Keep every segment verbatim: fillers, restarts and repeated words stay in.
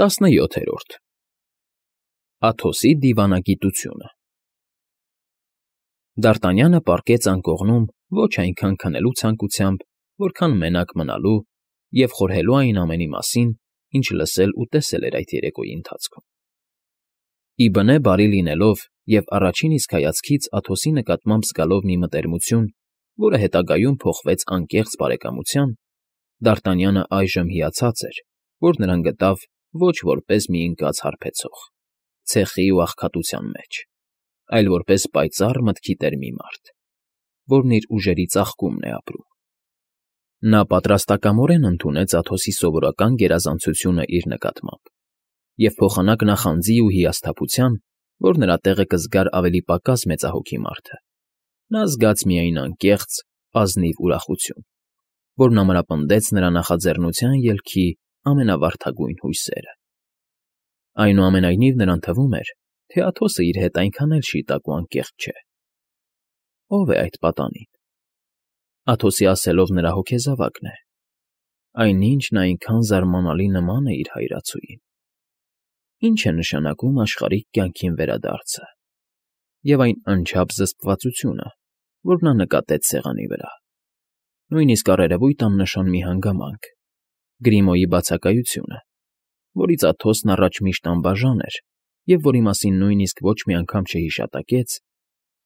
Տասնյոթերորդ Աթոսի դիվանագիտությունը Դ'Արտանյանը պառկեց անկողնում ոչ այնքան քնելու ցանկությամբ, որքան մենակ մնալու և խորհելու այն ամենի մասին, ինչ լսել ու տեսել էր այդ երեկոյի ընթացքում. Ի բնե բարի լինելով և առաջին իսկ հայացքից Աթոսի նկատմամբ զգալով մի մտերմություն, որը հետագայում փոխվեց անկեղծ բարեկամության, Դ'Արտանյանը այժմ հիացած էր, որ նրան գտավ ոչ որպես մի ընկած հարբեցող, ցեխի ու աղքատության մեջ, այլ որպես պայծառ մտքի տեր մի մարդ, որն իր ուժերի ծաղկումն է ապրում. Նա պատրաստակամորեն ընդունեց Աթոսի սովորական գերազանցությունը իր նկատմամբ և փոխանակ նախանձի ու հիասթափության, որ նրա տեղը կզգար ավելի պակաս մեծահոգի մարդը, նա զգաց միայն անկեղծ, ազնիվ ուրախություն, որն ամրապնդեց նրա նախաձեռնության ելքի ամենավարդագույն հույսերը։ Այնուամենայնիվ նրան թվում էր, թե Աթոսը իր հետ այնքան էլ շիտակ ու անկեղծ չէ։ Ո՞վ է այդ պատանին։ Աթոսի ասելով նրա հոգեզավակն է։ Այնինչն այնքան զարմանալի նման է իր հայրացուին։ Ինչ է նշանակում աշխարհիկ կյանքին վերադարձը և այն անչափ զսպվածությունը, որ նա նկատեց սեղանի վրա, նույնիսկ առերևույթ աննշան մի հանգամանք՝ Գրիմոյի բացակայությունը, որից Աթոսն առաջ միշտ անբաժան էր և որի մասին նույնիսկ ոչ մի անգամ չհիշատակեց,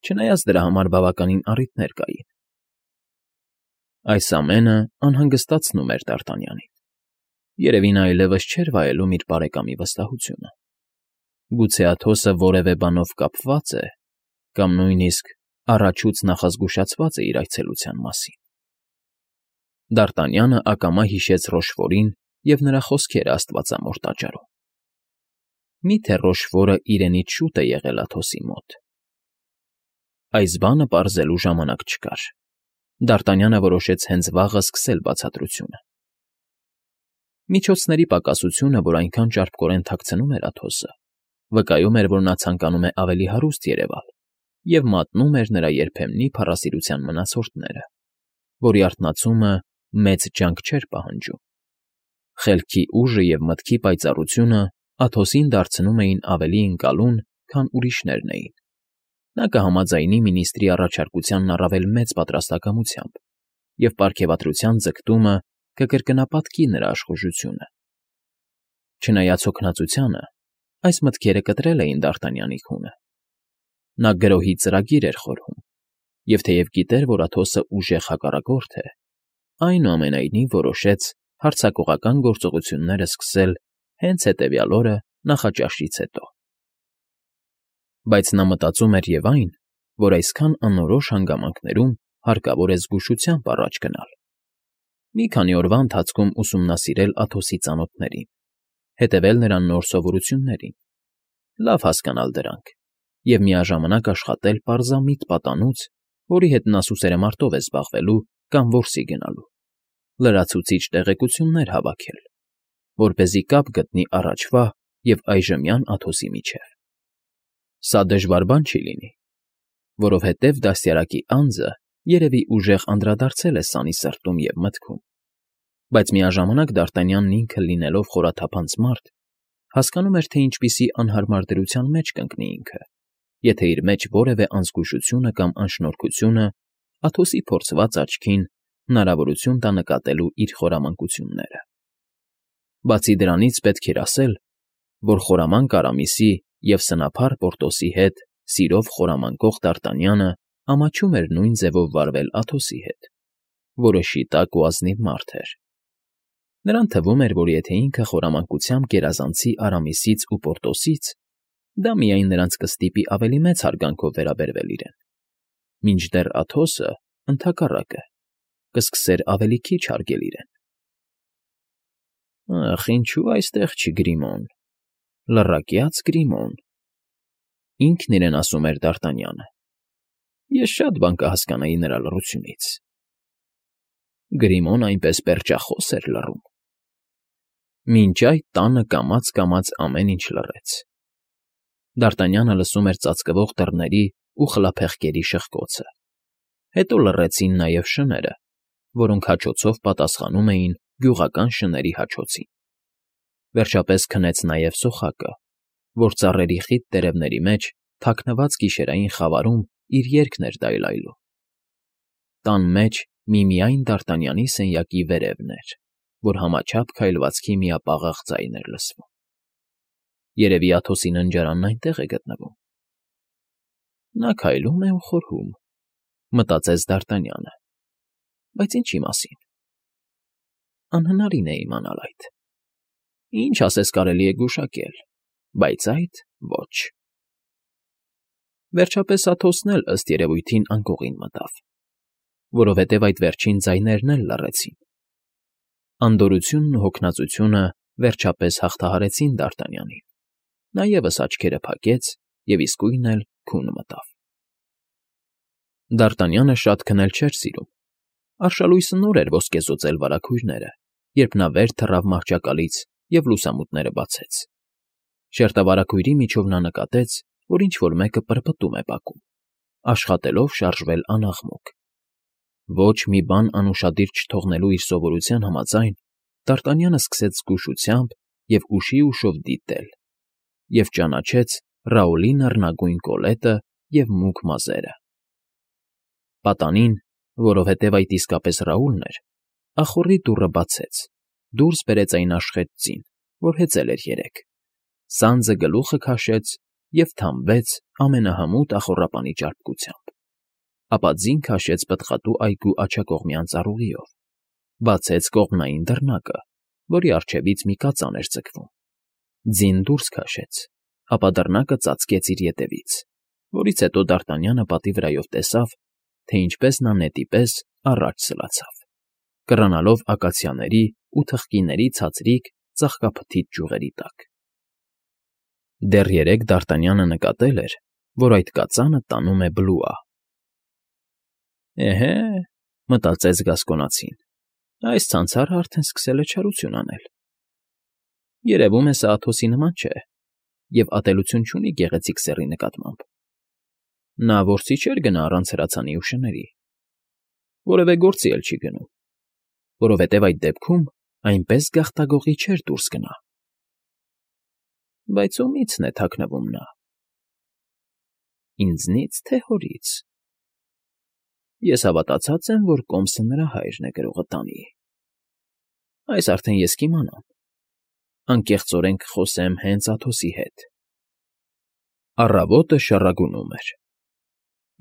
չնայած դրա համար բավականին առիթներ կային։ Այս ամենը անհանգստացնում էր Դ'Արտանյանին։ Երևի նա այլևս չէր վայելում իր բարեկամի վստահությունը։ Գուցե Աթոսը որևէ բանով կապվա՞ծ է կամ նույնիսկ առաջուց նախազգուշացված է իր այցելության մասին։ Դ'Արտանյանը ակամա հիշեց Ռոշֆորին և նրա խոսքերը աստվածամոր տաճարում։ Մի՞թե Ռոշֆորը իրենից շուտ է եղել Աթոսի մոտ։ Այս բանը պարզելու ժամանակ չկար։ Դ'Արտանյանը որոշեց հենց վաղը սկսել բացատրությունը։ Միջոցների պակասությունը, որ այնքան ճարպկորեն թաքցնում էր Աթոսը, վկայում էր, որ նա ցանկանում է ավելի հարուստ երևալ և մատնում էր նրա երբեմնի փառասիրության մնացորդները, որի արթնացումը մեծ ջանք չէր պահանջում։ Խելքի ուժը և մտքի պայծառությունը Աթոսին դարձնում էին ավելի ընկալուն, քան ուրիշներն էին։ Նա կհամաձայնի մինիստրի առաջարկությանն առավել մեծ պատրաստակամությամբ, և պարգևատրության ձգտումը կկրկնապատկի նրա աշխուժությունը։ Չնայած հոգնածությանը, այս մտքերը կտրել էին Դ'Արտանյանի քունը։ Նա գրոհի ծրագիր էր խորհում, և թեև գիտեր, որ Աթոսը ուժեղ հակառակորդ է, այնուամենայնիվ որոշեց հարձակողական գործողությունները սկսել հենց հետևյալ օրը նախաճաշից հետո։ Բայց նա մտածում էր և այն, որ այսքան անորոշ հանգամանքներում հարկավոր է զգուշությամբ առաջ գնալ։ Մի քանի օրվա ընթացքում ուսումնասիրել Աթոսի ծանոթներին, հետևել նրա նոր սովորություններին, լավ հասկանալ դրանք և միաժամանակ աշխատել պարզամիտ պատանուց, որի հետ նա սուսերամարտով է զբաղվելու կամ որսի գնալու, լրացուցիչ տեղեկություններ հավաքել, որպեսզի կապ գտնի առաջվա և այժմյան Աթոսի միջև։ Սա դժվար բան չի լինի, որովհետև դաստիարակի անձը երևի ուժեղ անդրադարձել է սանի սրտում և մտքում, բայց միաժամանակ Դ'Արտանյանն ինքը լինելով խորաթափանց մարդ, հասկանում էր, թե ինչպիսի անհարմար դրության մեջ կընկնի ինքը, եթե իր մեջ որևէ անզգուշությունը կամ անշնորհքությունը Աթոսի փորձված աչքին հնարավորություն տա նկատելու իր խորամանկությունները։ Բացի դրանից պետք էր ասել, որ խորամանկ Արամիսի և սնափառ Պորտոսի հետ սիրով խորամանկող Դ'Արտանյանը ամաչում էր նույն ձևով վարվել Աթոսի հետ, որը շիտակ ու ազնիվ մարդ էր։ Նրան թվում էր, որ եթե ինքը խորամանկությամբ գերազանցի Արամիսից ու Պորտոսից, դա միայն նրանց կստիպի ավելի մեծ հարգանքով վերաբերվել իրեն, մինչդեռ Աթոսը, ընդհակառակը, կսկսեր ավելի քիչ հարգել իրեն։ Ախ, ինչո՞ւ այստեղ չի Գրիմոն, լռակյաց Գրիմոն, ինքն իրեն ասում էր Դ'Արտանյանը։ Ես շատ բան կհասկանայի նրա լռությունից։ Գրիմոն այնպես պերճախոս էր լռում։ Մինչ այդ տանը կամաց֊կամաց ամեն ինչ լռեց։ Դ'Արտանյանը լսում էր ծածկվող դռների ու խլափեղկերի շխկոցը։ Հետո լռեցին նաև շները, որոնք հաչոցով պատասխանում էին գյուղական շների հաչոցին։ Վերջապես քնեց նաև սոխակը, որ ծառերի խիտ տերևների մեջ, թաքնված գիշերային խավարում իր երգն էր դայլայլում։ Տան մեջ միմիայն Դարտանյանի սենյակի վերևն էր, որ համաչափ քայլվածքի միապաղաղ ձայն էր լսվում։ Երևի Աթոսի ննջարանն այնտեղ է գտնվում։ Նա քայլում է ու խորհում, մտածեց Դարտանյանը, բայց ինչի մասին։ Անհնարին է իմանալ այդ։ Ինչ ասես կարելի է գուշակել, բայց այդ ոչ։ Վերջապես Աթոսն էլ ըստ երևույթին անկողին մտավ, որովհետև այդ վերջին ձայներն էլ լռեցին։ Անդորությունն ու հոգնածությունը վերջապես հաղթահարեցին Դարտանյանին։ Նա ևս աչքերը փակեց և իսկույն էլ քուն մտավ։ Դարտանյանը շատ քնել չէր սիրում։ Արշալույսը նոր էր ոսկեզօծել վարագույրները, երբ նա վեր թռավ մահճակալից և լուսամուտները բացեց։ Շերտավարագույրի միջով նա նկատեց, որ ինչ֊որ մեկը պրպտում է բակում, աշխատելով շարժվել անաղմուկ։ Ոչ մի բան անուշադիր չթողնելու իր սովորության համաձայն, Դարտանյանը սկսեց զգուշությամբ և ուշի֊ուշով դիտել և ճանաչեց Ռաուլի նռնագույն կոլետը և մուգ մազերը։ Պատանին, որովհետև այդ իսկապես Ռաուլն էր, ախոռի դուռը բացեց, դուրս բերեց այն աշխատ ձին, որ հեծել էր երեկ, սանձը գլուխը քաշեց և թամբեց ամենահմուտ ախոռապանի ճարպկությամբ, ապա ձին քաշեց պտղատու այգու աջակողմյան ծառուղիով, բացեց կողմնային դռնակը, որի առջևից մի կածան էր ձգվում, ձին դուրս քաշեց, ապա դռնակը ծածկեց իր ետևից, որից հետո Դարտանյանը պատի վրայով տեսավ, թե ինչպես նա նետի պես առաջ սլացավ, կռանալով ակացիաների ու թխկիների ցածրիկ, ծաղկափթիթ ճյուղերի տակ։ Դեռ երեկ Դարտանյանը նկատել էր, որ այդ կածանը տանում է Բլուա։ «Էհե,֊ մտածեց Գասկոնացին,֊ այս ցանցարը արդեն սկսել է չարություն անել։ Երևում է սա Աթոսի նման չէ և ատելություն չունի գեղեցիկ սեռի նկատմամբ։ Նա որսի չէր գնա առանց հրացանի ու շների, որևէ գործի էլ չի գնում, որովհետև այդ դեպքում այնպես գաղտագողի չէր դուրս գնա։ Բայց ումի՞ցն է թաքնվում նա։ Ինձնի՞ց, թե հորից։ Ես հավատացած եմ, որ Կոմսը նրա հայրն է գրողը տանի։ Այս արդեն ես կիմանամ։ Անկեղծորեն կխոսեմ հենց Աթոսի հետ»։ Առավոտը շառագունում էր։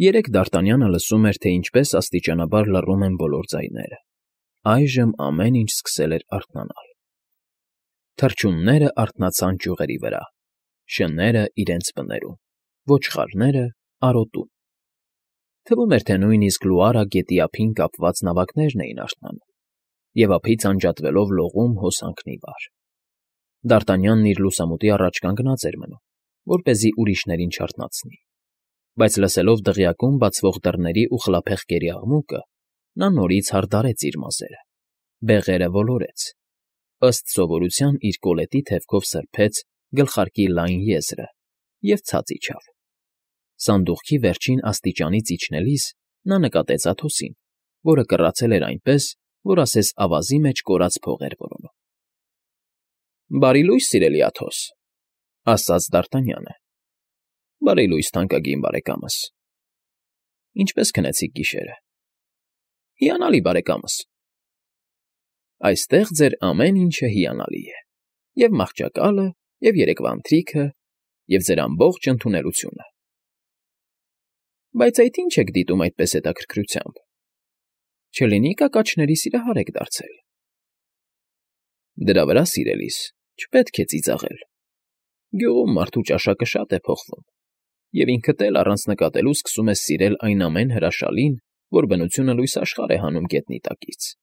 Երեկ Դարտանյանը լսում էր, թե ինչպես աստիճանաբար լռում են բոլոր ձայները։ Այժմ ամեն ինչ սկսել էր արթնանալ։ Թռչունները արթնացան ճյուղերի վրա, շները իրենց բներում, ոչխարները՝ արոտում։ Թվում էր, թե նույնիսկ լուարը գետի ափին կապված նավակներն էին արթնանում և ափից անջատվելով լողում հոսանքն ի վար։ Դարտանյանն իր լուսամուտի առաջ կանգնած էր մնում, որպեսզի ուրիշներին չարթնացնի, բայց լսելով դղյակում բացվող դռների ու խլափեղկերի աղմուկը, նա նորից հարդարեց իր մազերը, բեղերը ոլորեց, ըստ սովորության իր կոլետի թևքով սրբեց գլխարկի լայն եզրը և ցած իջավ։ Սանդուղքի վերջին աստիճանից իջնելիս նա նկատեց Աթոսին, որը կռացել էր այնպես, որ ասես ավազի մեջ կորած փող էր որոնում։ ֊ Բարի լույս, սիրելի Աթոս,֊ ասաց Դարտանյանը։ ֊ Բարի լույս, թանկագին բարեկամս… Ինչպե՞ս քնեցիք գիշերը։ ֊ Հիանալի, բարեկամս… Այստեղ ձեր ամեն ինչը հիանալի է, և մահճակալը, և երեկվա ընթրիքը, և ձեր ամբողջ ընդունելությունը… Բայց այդ ի՞նչ եք դիտում այդպես հետաքրքրությամբ… Չլինի՞ կակաչների սիրահար եք դարձել… Դրա վրա, սիրելիս, չպետք է ծիծաղել… Գյուղում մարդու ճաշակը շատ է փոխվում, և ինքդ էլ առանց նկատելու սկսում ես սիրել այն ամեն հրաշալին, որ բնությունը լույս աշխարհ է հանում գետնի տակից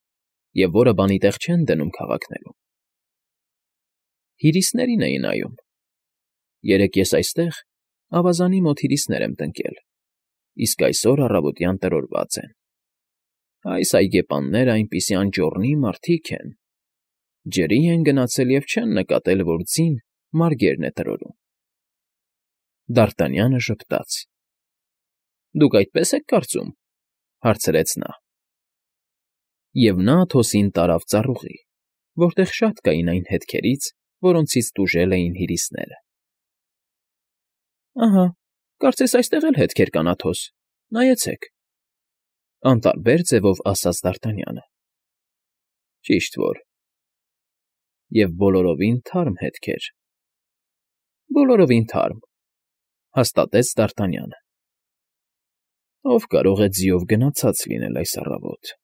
և որը բանի տեղ չեն դնում քաղաքներում… Հյուրիսներին էի նայում… Երեկ ես այստեղ ավազանի մոտ հյուրիսներ եմ տնկել, իսկ այսօր առավոտյան տրորված են… Այս այգեպաններն այնպիսի անճոռնի մարդիկ են… Ջրի են գնացել և չեն նկատել, որ ձին մարգերն է տրորում… Դարտանյանը ժպտաց։ ֊ Դուք այդպե՞ս եք կարծում,֊ հարցրեց նա։ Եվ նա Աթոսին տարավ ծառուղի, որտեղ շատ կային այն հետքերից, որոնցից տուժել էին հյուրիսները։ ֊ Ահա, կարծես այստեղ էլ հետքեր կան, Աթոս, նայեցեք,֊ անտարբեր ձևով ասաց Դարտանյանը։ ֊ Ճիշտ որ… և բոլորովին թարմ հետքեր։ ֊ Բոլորովին թարմ,֊ հաստատեց Դարտանյանը։ ֊ Ո՞վ կարող է ձիով գնացած լինել այս առավոտ,֊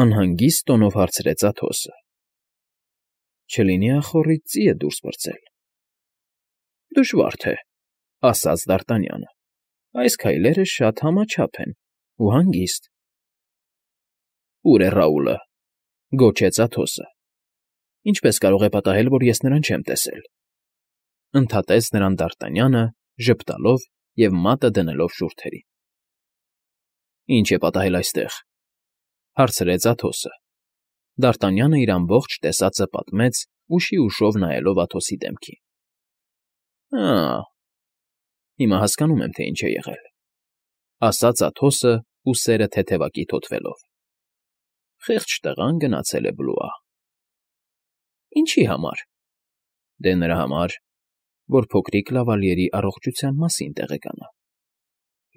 անհանգիստ տոնով հարցրեց Աթոսը։ ֊ Չլինի ախոռից ծի է դուրս պրծել։ ֊ Դժվար թե,֊ ասաց Դարտանյանը։ ֊ Այս քայլերը շատ համաչափ են ու հանգիստ։ ֊ Ո՞ւր է Ռաուլը,֊ գոչեց Աթոսը։ ֊ Ինչպե՞ս կարող է պատահել, որ ես նրան չեմ տեսել,֊ ընդհատեց նրան Դարտանյանը, ժպտալով և մատը դնելով շուրթերին։ ֊ Ի՞նչ է պատահել այստեղ,֊ հարցրեց Աթոսը։ Դարտանյանը իր ամբողջ տեսածը պատմեց, ուշի ուշով նայելով Աթոսի դեմքին։ ֊ Ա՜, հիմա հասկանում եմ, թե ինչ է եղել,֊ ասաց Աթոսը, ուսերը թեթևակի թոթվելով։ Խեղճ տղան գնացել է Բլուա։ ֊ Ինչի համար։ ֊ Դե նրա համար, որ փոքրիկ Լավալիերի առողջության մասին տեղեկանա։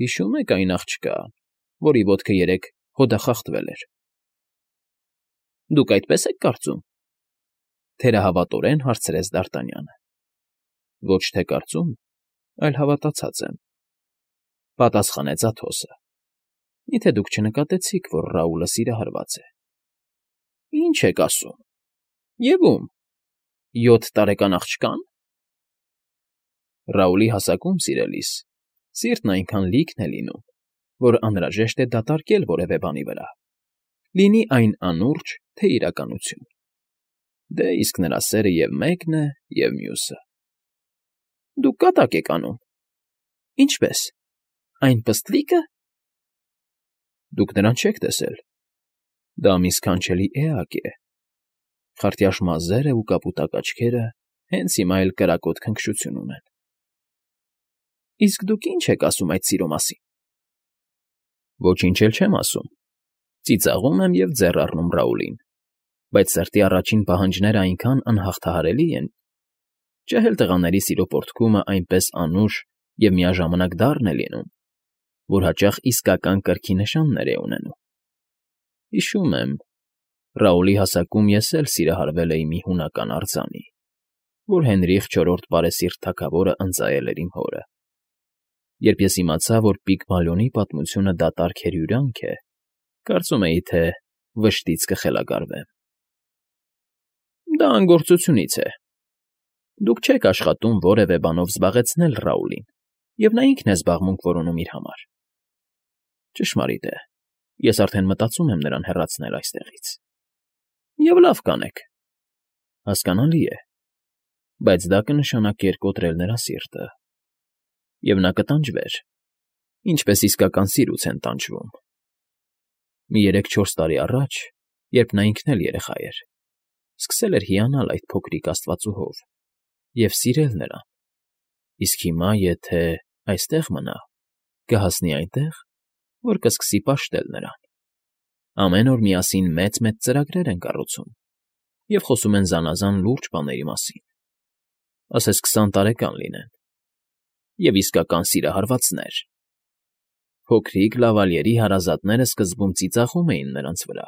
Հիշո՞ւմ եք այն աղջկան, որի ոտքը երեկ հոդախախտվել էր։ ֊ Դուք այդպես եք կարծում,֊ թերահավատորեն հարցրեց Դարտանյանը։ ֊ Ոչ թե կարծում, այլ հավատացած եմ,֊ պատասխանեց Աթոսը։ Միթե դուք չնկատեցիք, որ Ռաուլը սիրահարված է։ ֊ Ի՞նչ եք ասում։ Եվ ո՞ւմ, յոթ տարեկան աղջկա՞ն։ Ռաուլի հասակում, սիրելիս, սիրտն այնքան լիքն է լինում, որ անհրաժեշտ է դատարկել որևէ բանի վրա, լինի այն անուրջը, թե իրականություն։ Դե իսկ նրա սերը և մեկն է, և մյուսը։ ֊ Դուք կատակ եք անում։ ֊ Ինչպե՞ս, այն պստլիկը։ Դուք նրան չեք տեսել։ Դա մի սքանչելի էակ է, խարտյաշ մազերը ու կապուտակ աչքերը հենց հիմա էլ կրակոտ քնքշություն ունեն։ ֊ Իսկ դուք ի՞նչ եք ասում այդ սիրո մասին։ ֊ Ոչինչ էլ չեմ ասում, ծիծաղում եմ և ձեռ առնում Ռաուլին, բայց սրտի առաջին պահանջներն այնքան անհաղթահարելի են, ջահել տղաների սիրո պոռթկումն այնպես անուշ և միաժամանակ դառն է լինում, որ հաճախ իսկական կրքի նշաններ է ունենում։ Հիշում եմ, Ռաուլի հասակում ես էլ սիրահարվել էի մի հունական արձանի, որ Հենրիխ չորրորդ բարեսիրտ թագավորն ընծայել էր իմ հորը։ Երբ ես իմացա, որ Պիգմալիոնի պատմությունը դատարկ հրյուրյանք է, կարծում էի, թե վշտից կխելագարվեմ։ ֊ Դա անգործությունից է։ Դուք չեք աշխատում որևէ բանով զբաղեցնել Ռաուլին, և նա ինքն է զբաղմունք որոնում իր համար։ ֊ Ճշմարիտ է, ես արդեն մտածում եմ նրան հեռացնել այստեղից։ ֊ Եվ լավ կանեք։ Հասկանալի է, բայց դա կնշանակեր կոտրել նրա սիրտը, և նա կտանջվեր, ինչպես իսկական սիրուց են տանջվում։ Մի երեք֊չորս տարի առաջ, երբ նա ինքն էլ երեխա էր, սկսել էր հիանալ այդ փոքրիկ աստվածուհով և սիրել նրան, իսկ հիմա, եթե այստեղ մնա, կհասնի այնտեղ, որ կսկսի պաշտել նրան։ Ամեն օր միասին մեծ֊մեծ ծրագրեր են կառուցում և խոսում են զանազան լուրջ բաների մասին, ասես քսան տարեկան լինեն, և իսկական սիրահարվածներ։ Փոքրիկ Լավալիերի հարազատները սկզբում ծիծաղում էին նրանց վրա,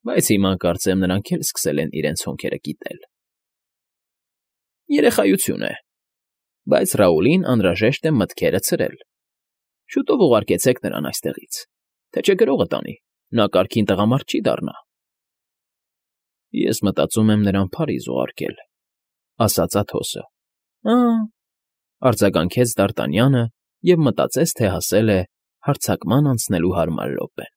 բայց հիմա, կարծեմ, նրանք էլ սկսել են իրենց հոնքերը կիտել։ ֊ Երեխայություն է, բայց Ռաուլին անհրաժեշտ է մտքերը ցրել։ Շուտով ուղարկեցեք նրան այստեղից, թե չէ գրողը տանի, նա կարգին տղամարդ չի դառնա։ ֊ Ես մտածում եմ նրան Փարիզ ուղարկել,֊ ասաց Աթոսը։ ֊ Ա՜, արձագանքեց Դարտանյանը և մտածեց, թե հասել է հարձակման անցնելու հարմար րոպեն։